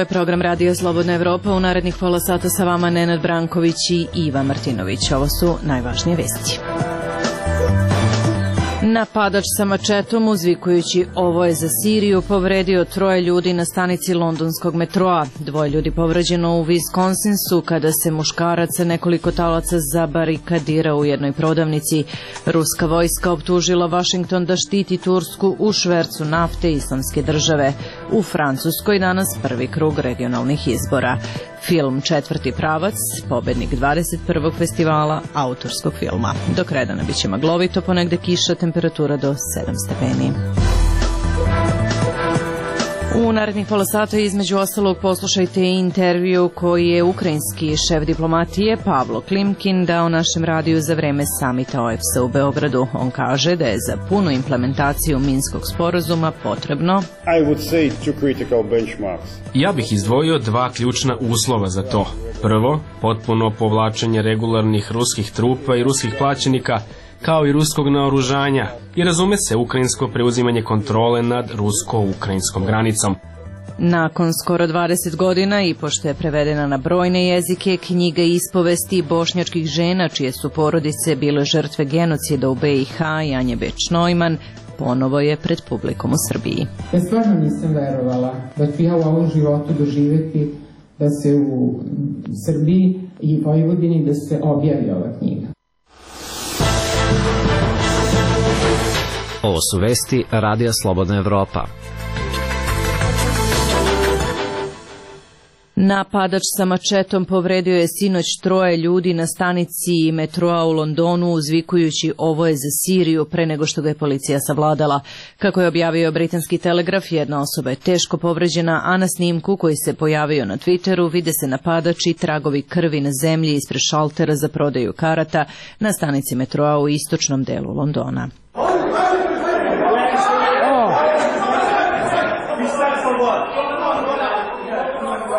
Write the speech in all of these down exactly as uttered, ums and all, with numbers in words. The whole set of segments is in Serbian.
je program Radio Slobodna Evropa. U narednih pola sata sa vama Nenad Branković i Iva Martinović. Ovo su najvažnije vesti. Napadač sa mačetom, uzvikujući "ovo je za Siriju", povredio troje ljudi na stanici londonskog metroa. Dvoje ljudi povređeno u Wisconsinsu kada se muškarac sa nekoliko talaca zabarikadira u jednoj prodavnici. Ruska vojska optužila Vašington da štiti Tursku u švercu nafte Islamske države. U Francuskoj danas prvi krug regionalnih izbora. Film "Četvrti pravac", pobednik dvadeset prvog festivala autorskog filma. Do kredana biće maglovito, ponegde kiša, temperatura do sedam stepeni. U narednih pola sata između ostalog poslušajte intervju koji je ukrajinski šef diplomatije Pavlo Klimkin dao našem radiju za vreme samita O E B S-a u Beogradu. On kaže da je za punu implementaciju Minskog sporazuma potrebno Ja bih izdvojio dva ključna uslova za to. Prvo, potpuno povlačenje regularnih ruskih trupa i ruskih plaćenika, kao i ruskog naoružanja, i razume se ukrajinsko preuzimanje kontrole nad rusko-ukrajinskom granicom. Nakon skoro dvadeset godina i pošto je prevedena na brojne jezike, knjiga ispovesti bošnjačkih žena čije su porodice bile žrtve genocida u B i H, Janje Beč-Neumann, ponovo je pred publikom u Srbiji. Ja stvarno nisam verovala da ću ja u ovom životu doživjeti da se u Srbiji i Vojvodini da se objavi ova knjiga. Ovo su vesti Radija Slobodna Evropa. Napadač sa mačetom povredio je sinoć troje ljudi na stanici metroa u Londonu, uzvikujući "ovo je za Siriju" pre nego što ga je policija savladala. Kako je objavio britanski Telegraf, jedna osoba je teško povređena, a na snimku koji se pojavio na Twitteru vide se napadač i tragovi krvi na zemlji ispred šaltera za prodaju karata na stanici metroa u istočnom delu Londona.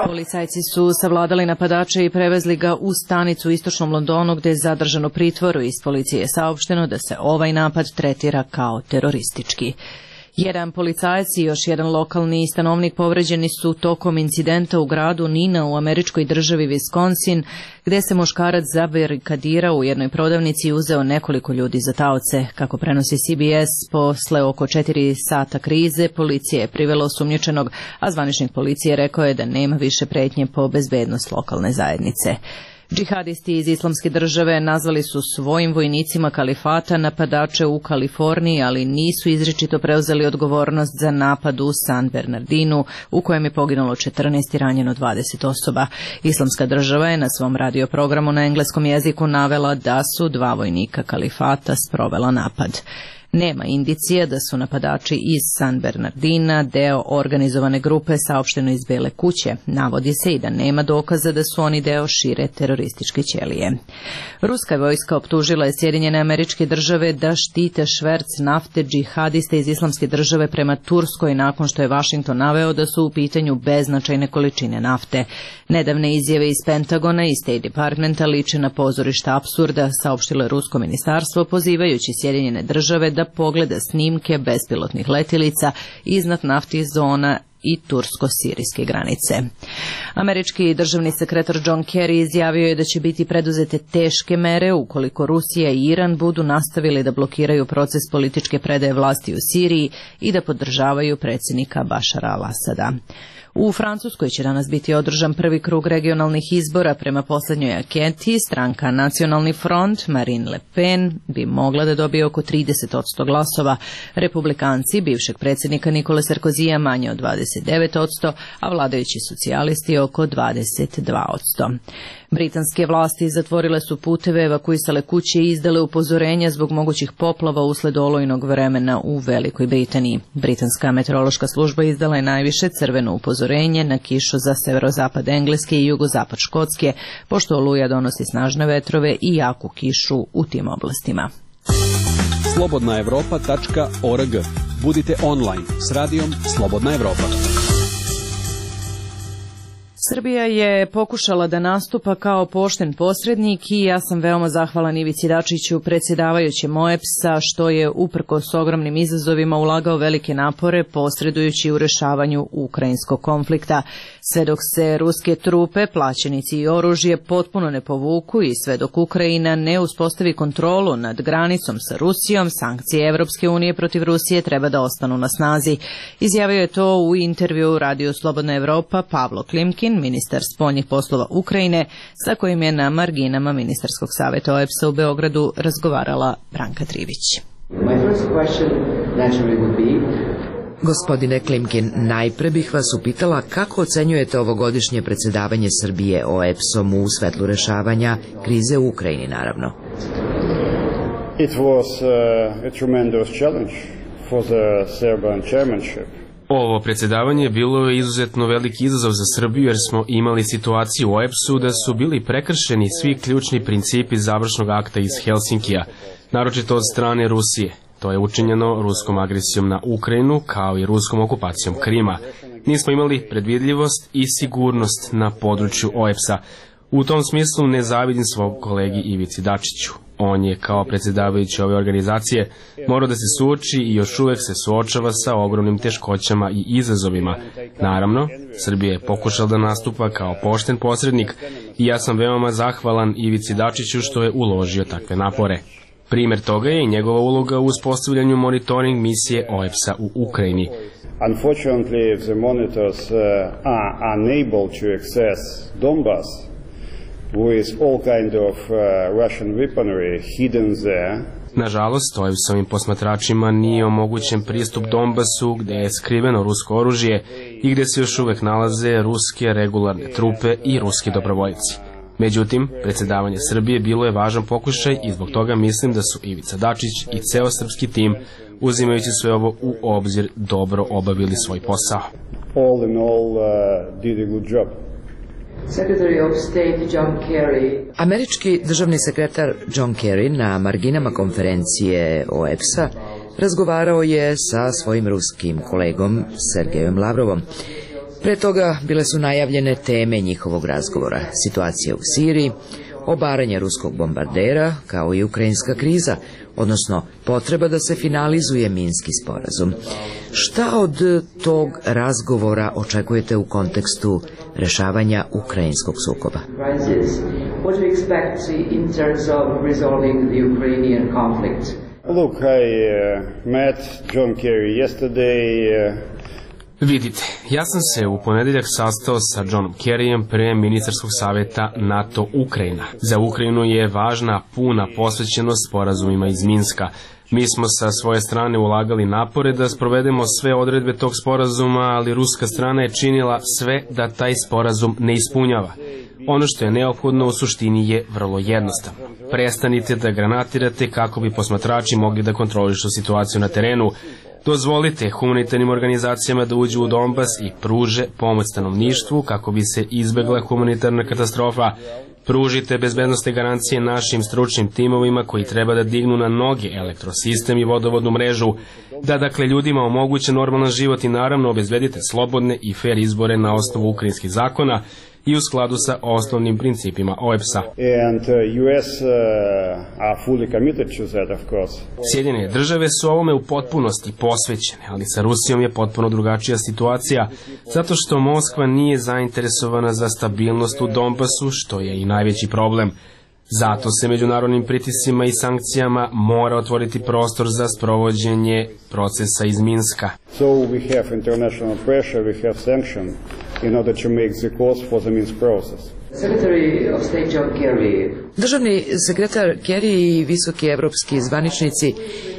Policajci su savladali napadača i prevezli ga u stanicu u istočnom Londonu gde je zadržan u pritvoru. Iz policije je saopšteno da se ovaj napad tretira kao teroristički. Jedan policajac i još jedan lokalni stanovnik povređeni su tokom incidenta u gradu Nina u američkoj državi Wisconsin, gde se muškarac zabarikadirao u jednoj prodavnici i uzeo nekoliko ljudi za taoce. Kako prenosi C B S, posle oko četiri sata krize, policija je privela osumnjičenog, a zvaničnik policije rekao je da nema više pretnje po bezbednost lokalne zajednice. Džihadisti iz Islamske države nazvali su svojim vojnicima kalifata napadače u Kaliforniji, ali nisu izričito preuzeli odgovornost za napad u San Bernardinu, u kojem je poginulo četrnaest i ranjeno dvadeset osoba. Islamska država je na svom radioprogramu na engleskom jeziku navela da su dva vojnika kalifata sprovela napad. Nema indicija da su napadači iz San Bernardina deo organizovane grupe, saopšteno iz Bele kuće. Navodi se i da nema dokaza da su oni deo šire terorističke ćelije. Ruska vojska optužila je Sjedinjene Američke Države da štite šverc nafte džihadista iz Islamske države prema Turskoj nakon što je Vašington naveo da su u pitanju beznačajne količine nafte. Nedavne izjave iz Pentagona i State Departmenta liče na pozorišta apsurda, saopštilo je rusko ministarstvo pozivajući Sjedinjene Države da pogleda snimke bespilotnih letilica iznad naftnih zona i tursko-sirijske granice. Američki državni sekretar John Kerry izjavio je da će biti preduzete teške mere ukoliko Rusija i Iran budu nastavili da blokiraju proces političke predaje vlasti u Siriji i da podržavaju predsjednika Bašara al-Asada. U Francuskoj će danas biti održan prvi krug regionalnih izbora. Prema poslednjoj anketi, stranka Nacionalni front Marine Le Pen bi mogla da dobije oko trideset posto glasova. Republikanci bivšeg predsjednika Nikole Sarkozija manje od dvadeset devet posto, a vladajući socijalisti oko dvadeset dva posto. Britanske vlasti zatvorile su puteve, evakuisale kuće i izdale upozorenja zbog mogućih poplava usled olujnog vremena u Velikoj Britaniji. Britanska meteorološka služba izdala je najviše crveno upozorenje na kišu za severozapad Engleske i jugozapad Škotske, pošto oluja donosi snažne vetrove i jaku kišu u tim oblastima. slobodna evropa tačka org. Budite online s radijom Slobodna Evropa. Srbija je pokušala da nastupa kao pošten posrednik i ja sam veoma zahvalan Ivici Dačiću, predsjedavajućem O E P S-a, što je uprkos ogromnim izazovima ulagao velike napore posredujući u rešavanju ukrajinskog konflikta. Sve dok se ruske trupe, plaćenici i oružje potpuno ne povuku i sve dok Ukrajina ne uspostavi kontrolu nad granicom sa Rusijom, sankcije Evropske unije protiv Rusije treba da ostanu na snazi. Izjavio je to u intervju Radiju Slobodna Evropa Pavlo Klimkin, ministar spoljnih poslova Ukrajine, sa kojim je na marginama Ministarskog saveta O E P S-a u Beogradu razgovarala Branka Trivić. Gospodine Klimkin, najpre bih vas upitala kako ocenjujete ovogodišnje predsjedavanje Srbije O E P S-om u svetlu rešavanja krize u Ukrajini, naravno. It was uh, a tremendous challenge for the Serbian chairmanship. Ovo predsjedavanje bilo je izuzetno veliki izazov za Srbiju jer smo imali situaciju u O E P S-u da su bili prekršeni svi ključni principi završnog akta iz Helsinkija, naročito od strane Rusije. To je učinjeno ruskom agresijom na Ukrajinu kao i ruskom okupacijom Krima. Nismo imali predvidljivost i sigurnost na području O E P S-a. U tom smislu ne zavidim svog kolegi Ivici Dačiću. On je kao predsjedavajući ove organizacije morao da se suoči i još uvek se suočava sa ogromnim teškoćama i izazovima. Naravno, Srbija je pokušala da nastupa kao pošten posrednik i ja sam veoma zahvalan Ivici Dačiću što je uložio takve napore. Primjer toga je i njegova uloga u uspostavljanju monitoring misije O E P S-a u Ukrajini. Unfortunately, the monitors uh, are unable to access Donbas with all kind of uh, Russian weaponry hidden there. Nažalost, O E P S-ovim posmatračima nije omogućen pristup Donbasu, gde je skriveno rusko oružje i gde se još uvek nalaze ruske regularne trupe i ruski dobrovoljci. Međutim, predsjedavanje Srbije bilo je važan pokušaj i zbog toga mislim da su Ivica Dačić i ceo srpski tim, uzimajući sve ovo u obzir, dobro obavili svoj posao. All in all, uh, did a good job. Američki državni sekretar John Kerry na marginama konferencije O E P S-a razgovarao je sa svojim ruskim kolegom Sergejom Lavrovom. Pre toga bile su najavljene teme njihovog razgovora: situacija u Siriji, obaranje ruskog bombardera, kao i ukrajinska kriza, odnosno potreba da se finalizuje Minski sporazum. Šta od tog razgovora očekujete u kontekstu rešavanja ukrajinskog sukoba? Look, I uh, met John Kerry yesterday. Uh, Vidite, ja sam se u ponedeljak sastao sa Johnom Kerryjem pre ministarskog saveta NATO Ukrajina. Za Ukrajinu je važna puna posvećenost sporazumima iz Minska. Mi smo sa svoje strane ulagali napore da sprovedemo sve odredbe tog sporazuma, ali ruska strana je činila sve da taj sporazum ne ispunjava. Ono što je neophodno u suštini je vrlo jednostavno. Prestanite da granatirate kako bi posmatrači mogli da kontrolišu situaciju na terenu. Dozvolite humanitarnim organizacijama da uđu u Donbas i pruže pomoć stanovništvu kako bi se izbegla humanitarna katastrofa. Pružite bezbednostne garancije našim stručnim timovima koji treba da dignu na noge elektrosistem i vodovodnu mrežu, da dakle ljudima omoguće normalan život i naravno obezbedite slobodne i fer izbore na osnovu ukrajinskih zakona i u skladu sa osnovnim principima O E P S-a. And uh, U S uh, are fully committed to that, of course. Sjedinjene države su ovome u potpunosti posvećene, ali sa Rusijom je potpuno drugačija situacija, zato što Moskva nije zainteresovana za stabilnost u Donbasu, što je i najveći problem. Zato se međunarodnim pritiscima i sankcijama mora otvoriti prostor za sprovođenje procesa iz Minska. So we have international pressure, we have sanctions in order to make the course for the Minsk process. Državni sekretar Kerry i visoki evropski zvaničnici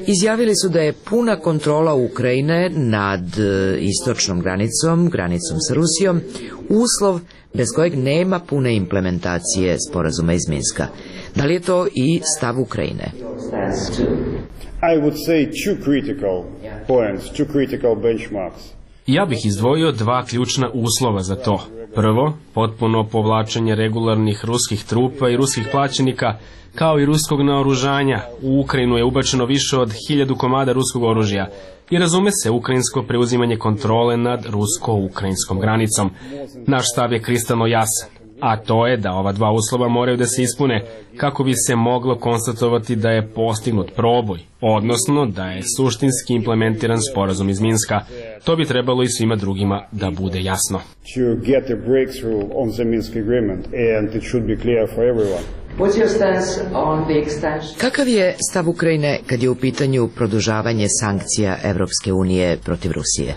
izjavili su da je puna kontrola Ukrajine nad istočnom granicom, granicom sa Rusijom, uslov bez kojeg nema pune implementacije sporazuma iz Minska. Da li je to i stav Ukrajine? I would say two critical points, two critical benchmarks. Ja bih izdvojio dva ključna uslova za to. Prvo, potpuno povlačenje regularnih ruskih trupa i ruskih plaćenika, kao i ruskog naoružanja. U Ukrajinu je ubačeno više od hiljadu komada ruskog oružja. i razume se ukrajinsko preuzimanje kontrole nad rusko-ukrajinskom granicom. Naš stav je kristalno jasan, a to je da ova dva uslova moraju da se ispune kako bi se moglo konstatovati da je postignut proboj, odnosno da je suštinski implementiran sporazum iz Minska. To bi trebalo i svima drugima da bude jasno. Kakav je stav Ukrajine kad je u pitanju produžavanje sankcija Evropske unije protiv Rusije?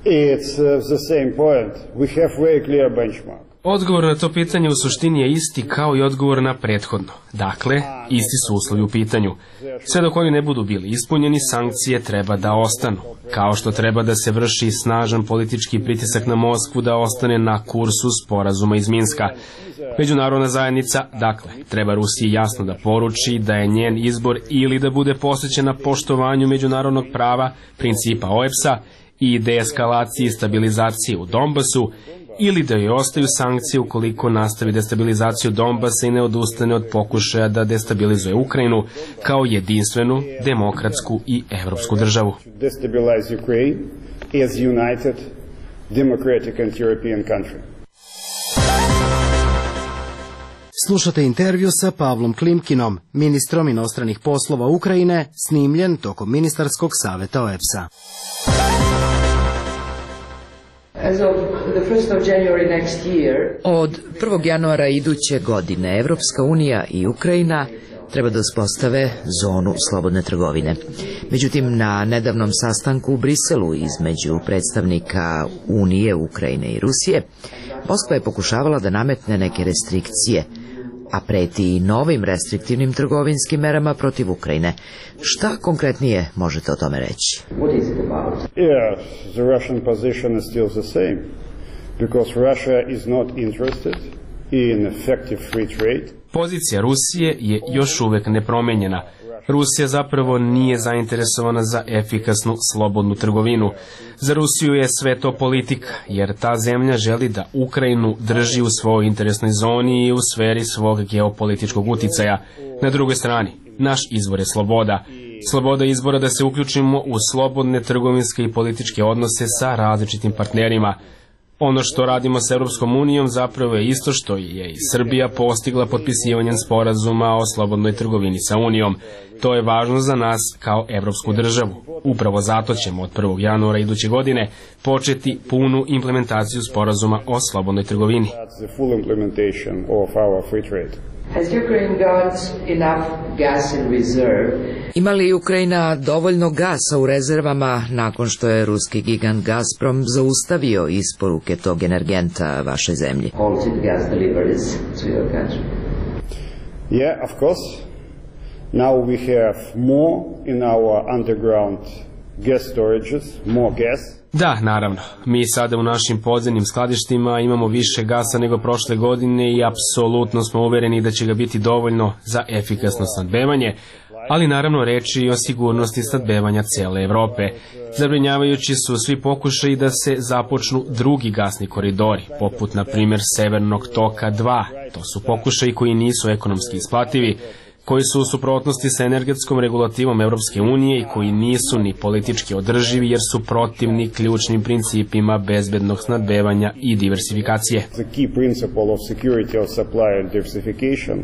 It's the same point. We have very clear benchmark. Odgovor na to pitanje u suštini je isti kao i odgovor na prethodno. Dakle, isti su uslovi u pitanju. Sve dok oni ne budu bili ispunjeni, sankcije treba da ostanu. Kao što treba da se vrši snažan politički pritisak na Moskvu da ostane na kursu sporazuma iz Minska. Međunarodna zajednica, dakle, treba Rusiji jasno da poruči da je njen izbor ili da bude posvećena poštovanju međunarodnog prava, principa O E P S-a i deeskalaciji i stabilizaciji u Donbasu, ili da joj ostaju sankcije ukoliko nastavi destabilizaciju Donbasa i ne odustane od pokušaja da destabilizuje Ukrajinu kao jedinstvenu, demokratsku i evropsku državu. Slušate intervju sa Pavlom Klimkinom, ministrom inostranih poslova Ukrajine, snimljen tokom ministarskog saveta O E P S-a. Od prvog januara iduće godine Evropska unija i Ukrajina treba da uspostave zonu slobodne trgovine. Međutim, na nedavnom sastanku u Briselu između predstavnika Unije, Ukrajine i Rusije, Moskva je pokušavala da nametne neke restrikcije, a preti i novim restriktivnim trgovinskim merama protiv Ukrajine. Šta konkretnije možete o tome reći? Yeah, the Russian position is still the same, because Russia is not interested in effective free trade. Pozicija Rusije je još uvek nepromenjena. Rusija zapravo nije zainteresovana za efikasnu slobodnu trgovinu. Za Rusiju je sve to politika, jer ta zemlja želi da Ukrajinu drži u svojoj interesnoj zoni i u sferi svog geopolitičkog uticaja. Na drugoj strani, naš izvor je sloboda. Sloboda izbora da se uključimo u slobodne trgovinske i političke odnose sa različitim partnerima. Ono što radimo s Europskom unijom zapravo je isto što je i Srbija postigla potpisivanjem sporazuma o slobodnoj trgovini sa Unijom. To je važno za nas kao evropsku državu. Upravo zato ćemo od prvog januara iduće godine početi punu implementaciju sporazuma o slobodnoj trgovini. Ima li Ukrajina dovoljno gasa u rezervama nakon što je ruski gigant Gazprom zaustavio isporuke tog energenta vašoj zemlji? Yeah, of course. Now we have more in our underground gas storages, more gas. Da, naravno. Mi sada u našim podzemnim skladištima imamo više gasa nego prošle godine i apsolutno smo uvereni da će ga biti dovoljno za efikasno snabdevanje, ali naravno reči i o sigurnosti snabdevanja cele Evrope. Zabrinjavajući su svi pokušaji da se započnu drugi gasni koridori, poput na primjer Severnog toka dva. To su pokušaji koji nisu ekonomski isplativi, koji su u suprotnosti sa energetskom regulativom Europske unije i koji nisu ni politički održivi jer su protivni ključnim principima bezbednog snabdevanja i diversifikacije. The key principle of security of supply and diversification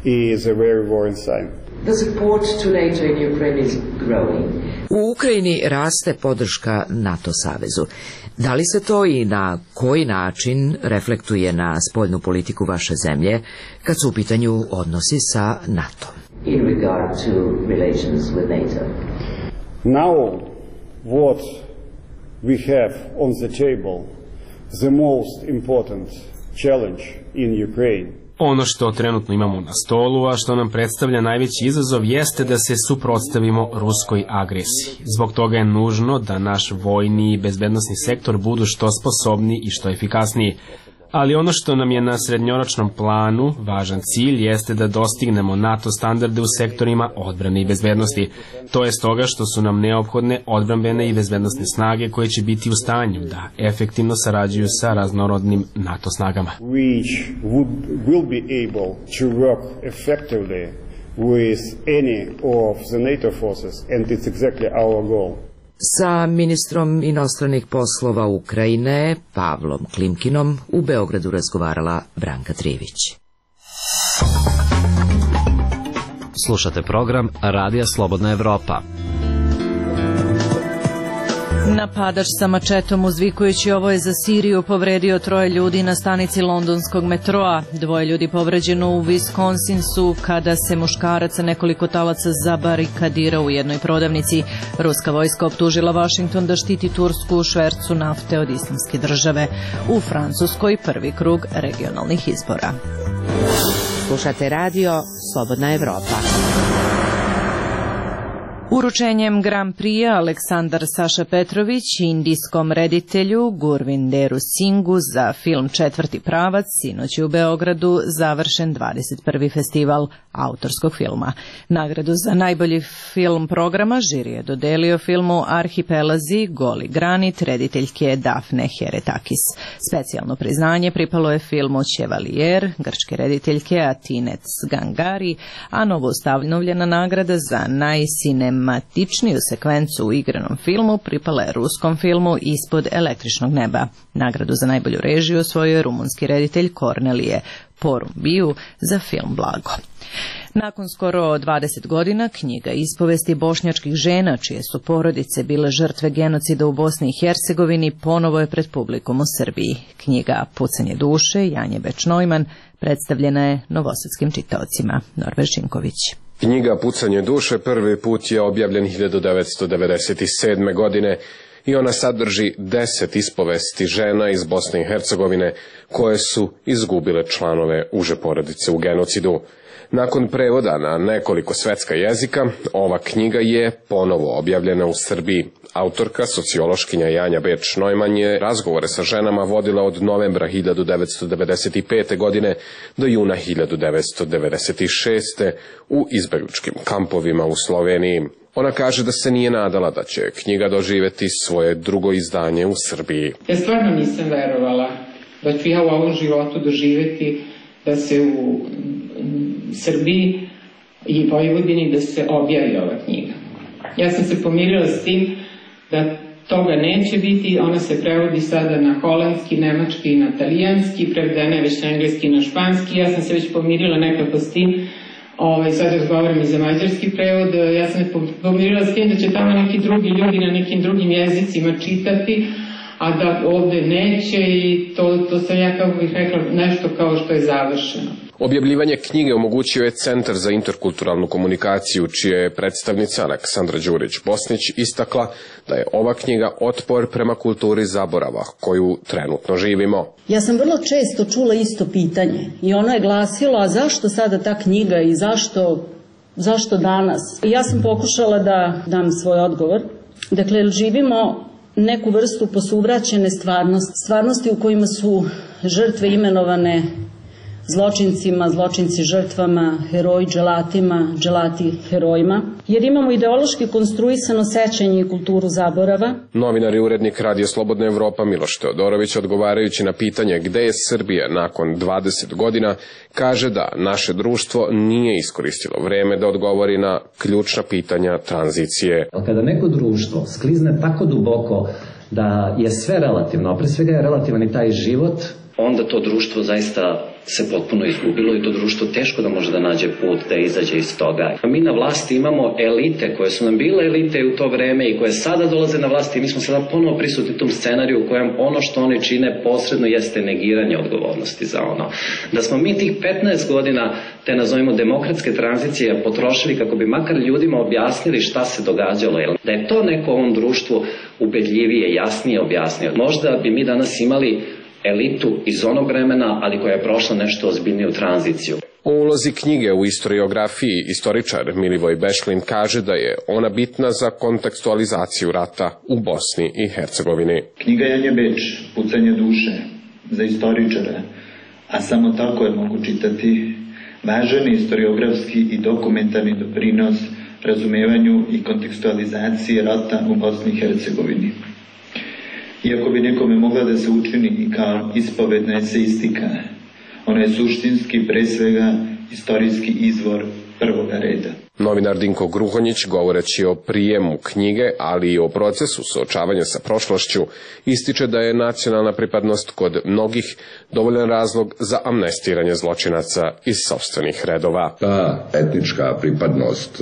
is a very worrying sign. The support to NATO in Ukraine is growing. U Ukrajini raste podrška NATO savezu. Da li se to i na koji način reflektuje na spoljnu politiku vaše zemlje kad su u pitanju odnosi sa NATO? In regard to relations with NATO. Now what we have on the table, the most important challenge in Ukraine. Ono što trenutno imamo na stolu, a što nam predstavlja najveći izazov, jeste da se suprotstavimo ruskoj agresiji. Zbog toga je nužno da naš vojni i bezbednosni sektor budu što sposobniji i što efikasniji. Ali ono što nam je na srednjoročnom planu važan cilj jeste da dostignemo NATO standarde u sektorima odbrane i bezbednosti. To je stoga što su nam neophodne odbrambene i bezbednosne snage koje će biti u stanju da efektivno sarađuju sa raznorodnim NATO snagama. Which would, will be able to work effectively with any of the NATO forces, and it's exactly our goal. sa ministrom inostranih poslova Ukrajine Pavlom Klimkinom u Beogradu razgovarala Branka Trivić. Slušate program Radija Slobodna Evropa. Napadač sa mačetom uzvikujući ovo je za Siriju povredio troje ljudi na stanici londonskog metroa. Dvoje ljudi povređeno u Wisconsinsu kada se muškarac sa nekoliko talaca zabarikadirao u jednoj prodavnici. Ruska vojska optužila Washington da štiti Tursku u švercu nafte od Islamske države. U Francuskoj prvi krug regionalnih izbora. Slušate radio Slobodna Evropa. Uručenjem Grand Prix-a Aleksandar Saša Petrović indijskom reditelju Gurvinderu Singhu za film Četvrti pravac sinoć je u Beogradu završen dvadeset prvi festival autorskog filma. Nagradu za najbolji film programa žiri je dodelio filmu Arhipelazi, Goli granit rediteljke Dafne Heretakis. Specijalno priznanje pripalo je filmu Chevalier grčke rediteljke Atinec Gangari, a novoustavljena nagrada za najsinem matičniju sekvencu u igranom filmu pripala je ruskom filmu Ispod električnog neba. Nagradu za najbolju režiju osvojio je rumunski reditelj Kornelije Porumbiu za film Blago. Nakon skoro dvadeset godina knjiga ispovesti bošnjačkih žena čije su porodice bile žrtve genocida u Bosni i Hercegovini ponovo je pred publikom u Srbiji. Knjiga Pucanje duše Janje Beč-Neumann predstavljena je novosadskim čitaocima. Norber Šinković. Knjiga Pucanje duše prvi put je objavljen hiljadu devetsto devedeset sedme. godine i ona sadrži deset ispovesti žena iz Bosne i Hercegovine koje su izgubile članove uže porodice u genocidu. Nakon prevoda na nekoliko svetska jezika, ova knjiga je ponovo objavljena u Srbiji. Autorka, sociološkinja Janja Beč-Neumann je razgovore sa ženama vodila od novembra hiljadu devetsto devedeset pete. godine do juna hiljadu devetsto devedeset šeste. u izbegličkim kampovima u Sloveniji. Ona kaže da se nije nadala da će knjiga doživeti svoje drugo izdanje u Srbiji. Ja stvarno nisam verovala da ću ja u ovom životu doživeti da se u Srbiji i Vojvodini da se objavi ova knjiga. Ja sam se pomirila s tim da toga neće biti, ona se prevodi sada na holandski, nemački i na talijanski, prevedena je već na engleski i na španski, ja sam se već pomirila nekako s tim, ovaj, sad razgovaram i za mađarski prevod, ja sam se pomirila s tim da će tamo neki drugi ljudi na nekim drugim jezicima čitati, a da ovde neće i to, to sam ja, kako bih rekla, nešto kao što je završeno. Objavljivanje knjige omogućio je Centar za interkulturalnu komunikaciju, čija je predstavnica Aleksandra Đurić-Bosnić istakla da je ova knjiga otpor prema kulturi zaborava koju trenutno živimo. Ja sam vrlo često čula isto pitanje i ono je glasilo, a zašto sada ta knjiga i zašto, zašto danas? I ja sam pokušala da dam svoj odgovor. Dakle, živimo neku vrstu posuvraćene stvarnosti, stvarnosti u kojima su žrtve imenovane zločincima, zločinci žrtvama, heroji dželatima, dželati herojima, jer imamo ideološki konstruisano sećanje i kulturu zaborava. Novinar i urednik Radija Slobodna Evropa Miloš Teodorović, odgovarajući na pitanje gde je Srbija nakon dvadeset godina, kaže da naše društvo nije iskoristilo vreme da odgovori na ključna pitanja tranzicije. Kada neko društvo sklizne tako duboko da je sve relativno, a pre svega je relativan i taj život, onda to društvo zaista se potpuno izgubilo i to društvo teško da može da nađe put da izađe iz toga. Mi na vlasti imamo elite koje su nam bile elite u to vreme i koje sada dolaze na vlasti i mi smo sada ponovo prisutni u tom scenariju u kojem ono što oni čine posredno jeste negiranje odgovornosti za ono. Da smo mi tih petnaest godina te nazovimo demokratske tranzicije potrošili kako bi makar ljudima objasnili šta se događalo. Da je to neko ovom društvu ubedljivije, jasnije objasnio. Možda bi mi danas imali elitu iz onog vremena, ali koja je prošla nešto ozbiljniju tranziciju. O ulozi knjige u istoriografiji istoričar Milivoj Bešlin kaže da je ona bitna za kontekstualizaciju rata u Bosni i Hercegovini. Knjiga Janje Beč, Pucanje duše, za istoričara, a samo tako je mogu čitati, važan istoriografski i dokumentarni doprinos razumevanju i kontekstualizaciji rata u Bosni i Hercegovini. Iako bi nekome mogla da se učini i kao ispovedna eseistika, ona je suštinski, pre svega, istorijski izvor prvoga reda. Novinar Dinko Gruhonjić, govoreći o prijemu knjige, ali i o procesu suočavanja sa prošlošću, ističe da je nacionalna pripadnost kod mnogih dovoljan razlog za amnestiranje zločinaca iz sopstvenih redova. Ta etnička pripadnost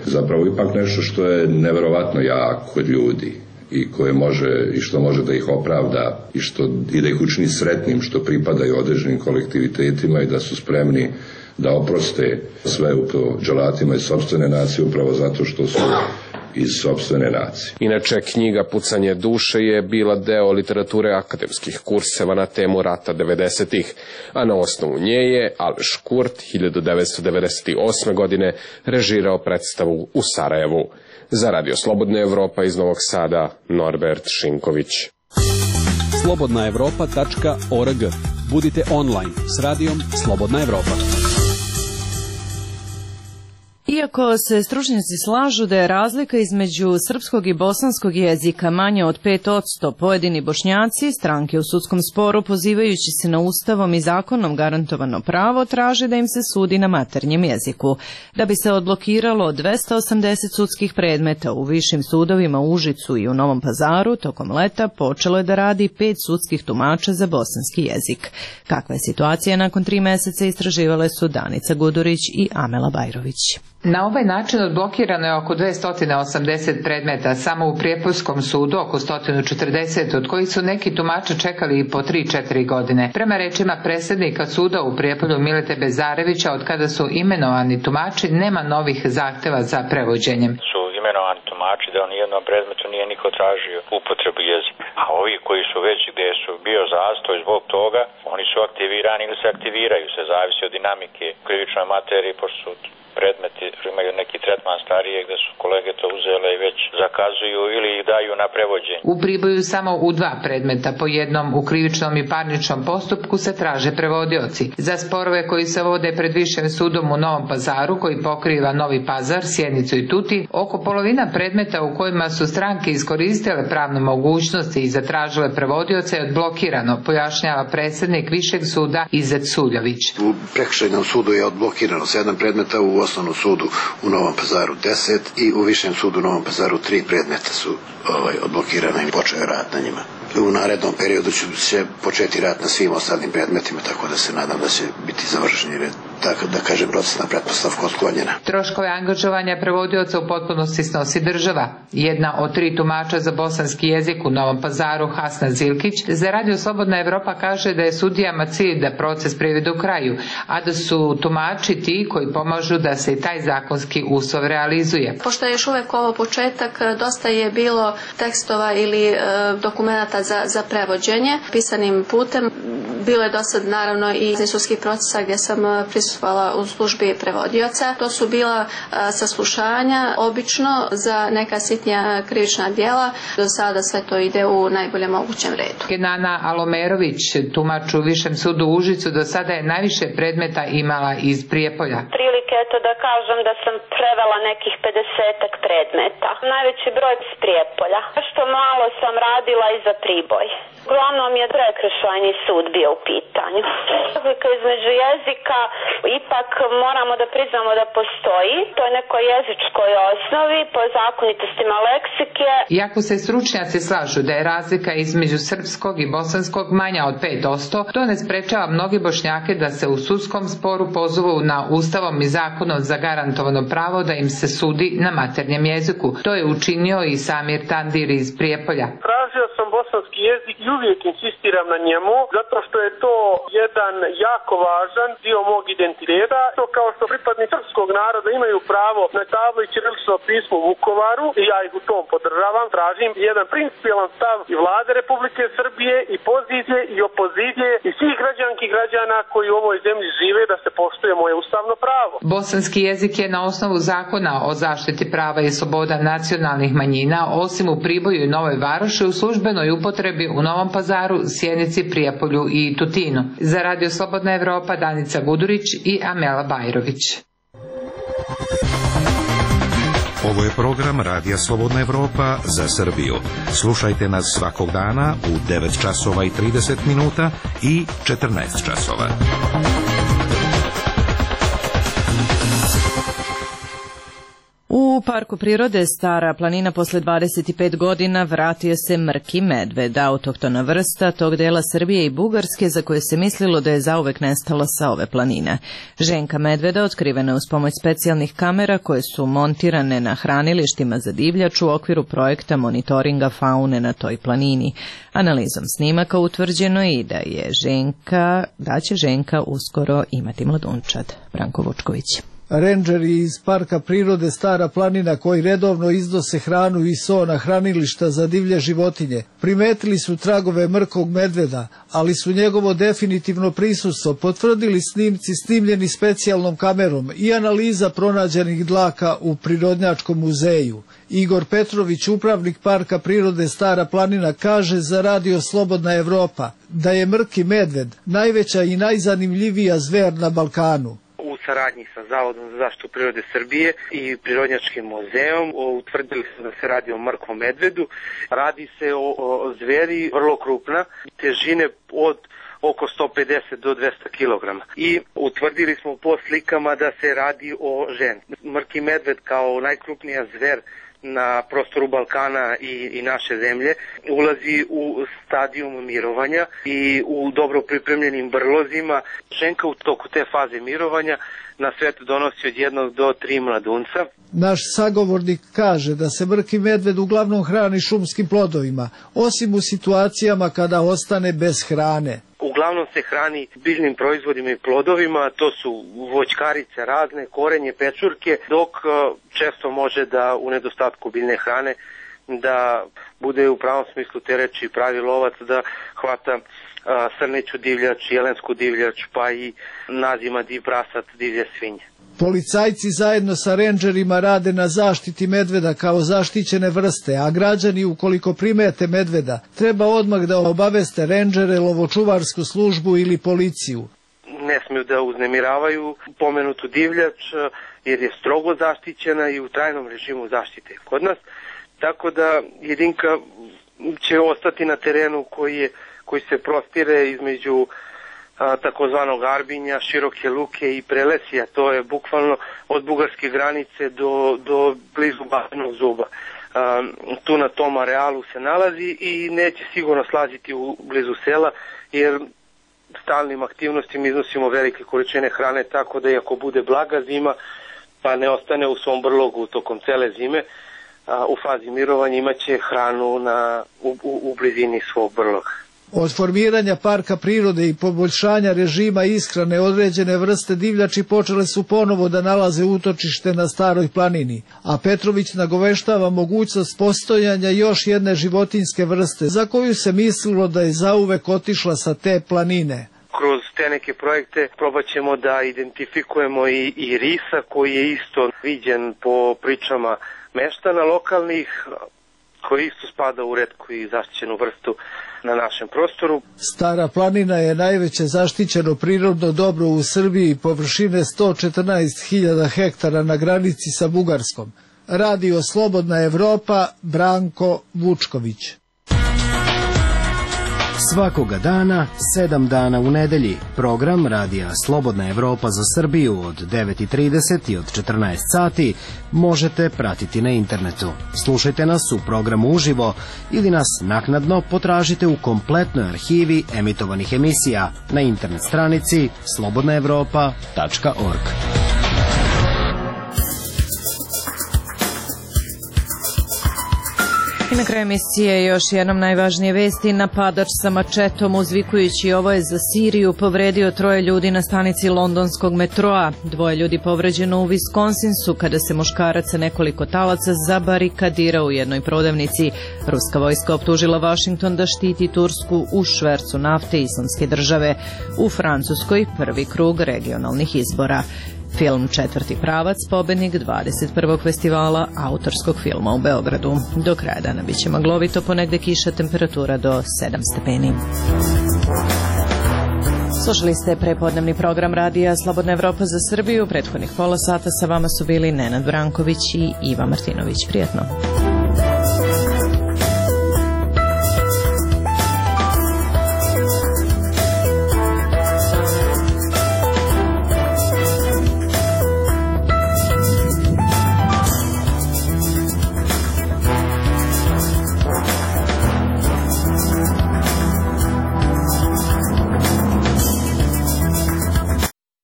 zapravo ipak nešto što je neverovatno jako kod ljudi i koje može i što može da ih opravda i što i da ih učini sretnim što pripadaju određenim kolektivitetima i da su spremni da oproste sve upravo dželatima iz sopstvene nacije upravo zato što su iz sopstvene nacije. Inače, knjiga Pucanje duše je bila deo literature akademskih kurseva na temu rata devedesetih, a na osnovu nje je Aleš Kurt hiljadu devetsto devedeset osme. godine režirao predstavu u Sarajevu. Za Radio Slobodna Evropa iz Novog Sada, Norbert Šinković. slobodna evropa tačka org. Budite online s radijom Slobodna Evropa. Iako se stručnjaci slažu da je razlika između srpskog i bosanskog jezika manja od pet posto, pojedini Bošnjaci, stranke u sudskom sporu, pozivajući se na ustavom i zakonom garantovano pravo, traže da im se sudi na maternjem jeziku. Da bi se odblokiralo dvesta osamdeset sudskih predmeta u višim sudovima u Užicu i u Novom Pazaru, tokom leta počelo je da radi pet sudskih tumača za bosanski jezik. Kakva je situacija nakon tri meseca, istraživale su Danica Gudurić i Amela Bajrović. Na ovaj način odblokirano je oko dvesta osamdeset predmeta, samo u Prijepoljskom sudu oko sto četrdeset, od kojih su neki tumači čekali i po tri do četiri godine. Prema rečima predsjednika suda u Prijepolju Milete Bezarevića, od kada su imenovani tumači, nema novih zahteva za prevođenjem. Su imenovani tumači da u nijednom predmetu nije niko tražio upotrebu jezika. A ovi koji su već gdje su bio zastoj zbog toga, oni su aktivirani ili se aktiviraju, se zavisi od dinamike krivičnoj materiji, pošto su predmeti imaju neki tretman starije gdje su kolege to uzele i već zakazuju ili ih daju na prevođenje. U Priboju samo u dva predmeta, po jednom u krivičnom i parničnom postupku, se traže prevodioci. Za sporove koji se vode pred Višim sudom u Novom Pazaru, koji pokriva Novi Pazar, Sjenicu i Tutin, oko polovina predmeta u kojima su stranke iskoristile pravne mogućnosti i zatražile prevodioce je odblokirano, pojašnjava predsjednik Višeg suda Izet Suljović. U prekršajnom sudu je odblokirano sedam predmeta, u osnovnom sudu u Novom Pazaru deset i u Višem sudu u Novom Pazaru tri predmeta su ovaj, odblokirana i počeo rad na njima. U narednom periodu će se početi rad na svim ostalim predmetima, tako da se nadam da će biti završeni red. Tako da kažem, procesna pretpostavka otklonjena. Troškove angažovanja prevodioca u potpunosti snosi država. Jedna od tri tumača za bosanski jezik u Novom Pazaru, Hasna Zilkić, za Radio Slobodna Evropa kaže da je sudijama cilj da proces privede u kraju, a da su tumači ti koji pomažu da se i taj zakonski uslov realizuje. Pošto je još uvek ovo početak, dosta je bilo tekstova ili e, dokumenata za, za prevođenje pisanim putem. Bilo je dosad naravno i sudskih procesa gdje sam prisustvovala u službi prevodioca. To su bila a, saslušanja, obično za neka sitnija krivična djela. Do sada sve to ide u najboljem mogućem redu. Kenana Alomerović, tumač u Višem sudu u Užicu, do sada je najviše predmeta imala iz Prijepolja. Prilike eto da kažem da sam prevela nekih pedesetak predmeta. Najveći broj iz Prijepolja. Što malo sam radila i za Priboj. Uglavnom je prekršajni sud bio u pitanju. Razlika između jezika ipak moramo da priznamo da postoji. To je nekoj jezičkoj osnovi, po zakonitostima leksike. Iako se stručnjaci slažu da je razlika između srpskog i bosanskog manja od pet posto, to ne sprečava mnogi Bošnjake da se u sudskom sporu pozovu na ustavom i zakonom zagarantovano pravo da im se sudi na maternjem jeziku. To je učinio i Samir Tandir iz Prijepolja. Tražio sam bosanski jezik i uvijek insistiram na njemu, zato što je to jedan jako važan dio mog identiteta. To kao što pripadnici srpskog naroda imaju pravo na tablu i ćirilično pismo u Vukovaru, i ja ih u tom podržavam, tražim jedan principijelan stav i vlade Republike Srbije i pozicije i opozicije i svih građanki i građana koji u ovoj zemlji žive, da se poštuje moje ustavno pravo. Bosanski jezik je na osnovu zakona o zaštiti prava i sloboda nacionalnih manjina, osim u Priboju i Novoj Varoši, u službenoj upotrebi u Novom Pazaru, Sjenici, Prijepolju i Tutinu. Za Radio Slobodna Evropa, Danica Gudurić i Amela Bajrović. Ovo je program Radija Slobodna Evropa za Srbiju. Slušajte nas svakog dana u devet časova i trideset minuta i četrnaest časova. parku prirode Stara planina posle dvadeset pet godina vratio se mrki medved, autohtona vrsta tog dela Srbije i Bugarske za koje se mislilo da je zauvek nestala sa ove planine. Ženka medveda otkrivena je uz pomoć specijalnih kamera koje su montirane na hranilištima za divljač u okviru projekta monitoringa faune na toj planini. Analizom snimaka utvrđeno je i da je Ženka, da će Ženka uskoro imati mladunčad. Branko Vučković. Rendžeri iz Parka prirode Stara planina koji redovno iznose hranu i so na hranilišta za divlje životinje primetili su tragove mrkog medveda, ali su njegovo definitivno prisustvo potvrdili snimci snimljeni specijalnom kamerom i analiza pronađenih dlaka u Prirodnjačkom muzeju. Igor Petrović, upravnik Parka prirode Stara planina, kaže za Radio Slobodna Evropa da je mrki medved najveća i najzanimljivija zver na Balkanu. U saradnji sa Zavodom za zaštitu prirode Srbije i Prirodnjačkim muzeom utvrdili su da se radi o mrkvom medvedu. Radi se o, o zveri vrlo krupna, težine od oko sto pedeset do dvesta kilograma. I utvrdili smo po slikama da se radi o ženi. Mrki medved kao najkrupnija zver na prostoru Balkana i, i naše zemlje ulazi u stadijum mirovanja i u dobro pripremljenim brlozima. Ženka u toku te faze mirovanja na svet donosi od jednog do tri mladunca. Naš sagovornik kaže da se mrki medved uglavnom hrani šumskim plodovima, osim u situacijama kada ostane bez hrane. Uglavnom se hrani biljnim proizvodima i plodovima, to su voćkarice razne, korenje, pečurke, dok često može da u nedostatku biljne hrane da bude u pravom smislu te reči pravi lovac, da hvata srneću divljač, jelensku divljač, pa i nazima div prasat, divlje svinje. Policajci zajedno sa rendžerima rade na zaštiti medveda kao zaštićene vrste, a građani ukoliko primete medveda treba odmah da obaveste rendžere, lovočuvarsku službu ili policiju. Ne smiju da uznemiravaju pomenutu divljač jer je strogo zaštićena i u trajnom režimu zaštite kod nas, tako da jedinka će ostati na terenu koji, je, koji se prostire između a, takozvanog Arbinja, Široke Luke i Prelesija. To je bukvalno od bugarske granice do, do blizu Batenog Zuba. A, tu na tom arealu se nalazi i neće sigurno slaziti u blizu sela jer stalnim aktivnostima iznosimo velike količine hrane, tako da i ako bude blaga zima pa ne ostane u svom brlogu tokom cele zime, a, u fazi mirovanja imaće hranu na, u, u, u blizini svog brloga. Od formiranja Parka prirode i poboljšanja režima ishrane određene vrste divljači počele su ponovo da nalaze utočište na Staroj planini, a Petrović nagoveštava mogućnost postojanja još jedne životinjske vrste za koju se mislilo da je zauvek otišla sa te planine. Kroz te neke projekte probat ćemo da identifikujemo i, i risa koji je isto viđen po pričama meštana lokalnih, koji isto spada u retku i zaštićenu vrstu na našem prostoru. Stara planina je najveće zaštićeno prirodno dobro u Srbiji, površine sto četrnaest hiljada hektara na granici sa Bugarskom. Radio Slobodna Evropa, Branko Vučković. Svakoga dana, sedam dana u nedelji, program Radija Slobodna Evropa za Srbiju od devet i trideset i od četrnaest sati možete pratiti na internetu. Slušajte nas u programu uživo ili nas naknadno potražite u kompletnoj arhivi emitovanih emisija na internet stranici slobodna evropa tačka org. I na kraju emisije još jednom najvažnije vesti. Napadač sa mačetom uzvikujući ovo je za Siriju povredio troje ljudi na stanici londonskog metroa. Dvoje ljudi povređeno u Wisconsinsu kada se muškarac sa nekoliko talaca zabarikadirao u jednoj prodavnici. Ruska vojska optužila Washington da štiti Tursku u švercu nafte Islamske države. U Francuskoj prvi krug regionalnih izbora. Film Četvrti pravac, pobednik dvadeset prvog festivala autorskog filma u Beogradu. Do kraja dana bit će maglovito, ponegde kiša, temperatura do sedam stepeni. Slušali ste prepodnevni program Radija Slobodna Evropa za Srbiju. Prethodnih pola sata sa vama su bili Nenad Branković i Iva Martinović. Prijetno.